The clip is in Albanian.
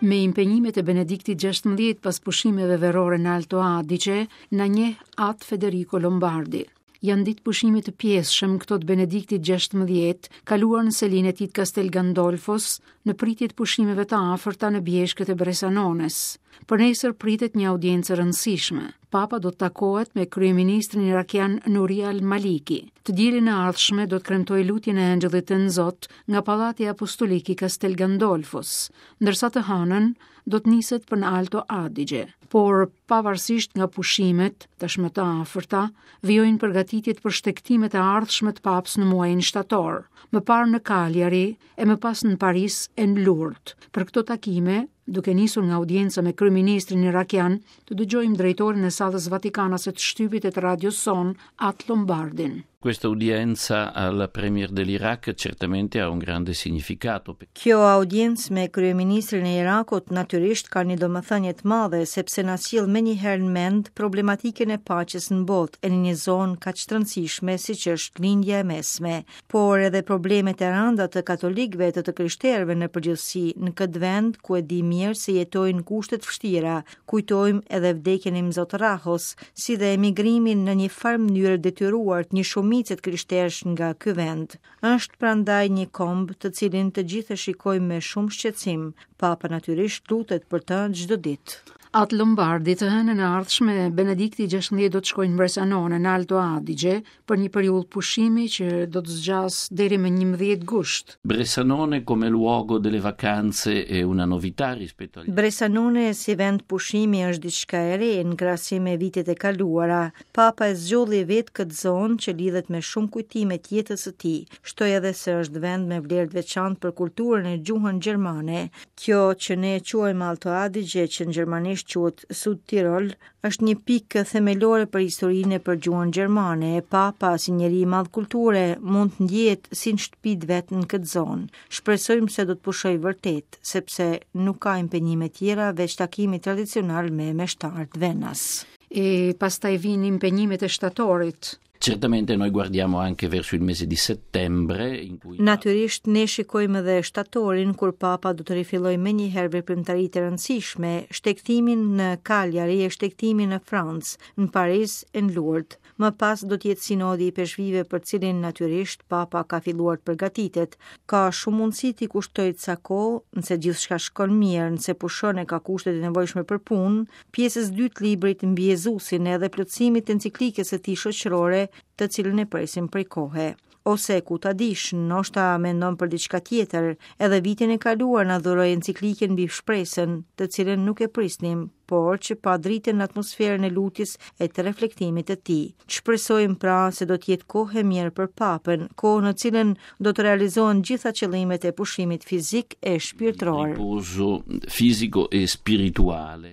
Me impenjimet e Benediktit 16 pas pushimeve verore në Alto Adige, na njeh At Federico Lombardi. Janë ditë pushimi të pjesshëm këto të Benediktit 16, kaluar në selinë e tij të Castel Gandolfos, në pritje të pushimeve të afërta në bjeshkët e Bresanones. Për nesër pritet një audiencë e rëndësishme. Papa do të takohet me kryeministrin irakian Nuri al-Maliki. Të dielën e ardhshme do të kremtojë lutjen e Engjëllit të Tënzot nga Pallati Apostolik i Castel Gandolfos, ndërsa të hënën do të niset për në Alto Adige. Por, pavarësisht nga pushimet, tashmë të afërta, vijojnë përgatitjet për shtegtimet e ardhshme të Papës në muajin shtator, më parë në Cagliari e më pas në Paris e në Lourdes. Për këto takime, duke nisur nga audienca me kryeministrin irakian, të dëgjojmë drejtorin e sallës vatikanase të shtypit e të radios sonë, At Lombardin. Questa udienza al premier dell'Iraq certamente ha un grande significato. Kjo audiencë me kryeministrin e Irakut natyrisht ka një domethënie të madhe sepse na sjell menjëherë në mend problematikën e paqes në botë e në një zonë kaq të rëndësishme siç është Lindja e Mesme, por edhe problemet e rënda të katolikëve e të të krishterëve në përgjithësi në këtë vend ku e di mirë se jetojnë në kushte të vështira, Kujtojmë edhe vdekjen e Imzot Rahos, si dhe emigrimin në një farë mënyre detyruar të një shumice të krishterësh nga ky vend. Është prandaj një komb të cilin të gjithë e shikojmë me shumë shqetësim. Papa natyrisht lutet për të çdo ditë. At Lombardi të hënën e ardhshme Benedikti 16 do të shkojë në Bressanone në Alto Adige për një periudhë pushimi që do të zgjasë deri më 11 gusht. Bressanone come luogo delle vacanze è una novità rispetto agli Bressanone si vend pushimi është diçka e re në krahasim me vitet e kaluara. Papa e zgjodhi vetë këtë zonë që lidhet me shumë kujtime të jetës së tij. Shtoi edhe se është vend me vlerë të veçantë për kulturën e gjuhën gjermane. Kjo që ne e quajmë Alto Adige, që në gjermanisht quhet Sud Tirol, Është një pikë themelore për historinë e për gjuhën gjermane, e Papa, si njeri i madh kulture, mund të ndjehet si në shtëpi të vet në këtë zonë. Shpresojmë se do të pushojë vërtet, sepse nuk ka impenjime tjera veç takimit tradicional me meshtarët vendas. E pastaj vijnë impenjimet e shtatorit. Certamente noi guardiamo anche verso il mese di settembre in cui Natyrisht ne shikojmë edhe shtatorin kur Papa do të rifillojë menjëherë veprimtaritë e rëndësishme, shtegtimin në Cagliari e shtegtimin në Francë, në Paris e në Lourdes. Më pas do të jetë sinodi i ipeshkvijve për cilin natyrisht Papa ka filluar të përgatitet. Ka shumë mundësi t'i kushtojë ca kohë, nëse gjithçka shkon mirë, nëse pushon e ka kushtet e nevojshme për punë, pjesës dytë të librit mbi Jezusin edhe plotësimit të enciklikës së tij shoqërore, të cilën e presim prej kohe. Ose ku ta dish, ndoshta mendon për diçka tjetër, edhe vitin e kaluar na dhuroi enciklikën mbi shpresën, të cilën nuk e prisnim, por që pa dritën në atmosferën e lutjes e të reflektimit të tij. Shpresojmë pra se do të jetë kohë e mirë për Papën, kohë në cilën do të realizohen gjitha qëllimet e pushimit fizik e shpirtëror. Riposo fisico e spirituale.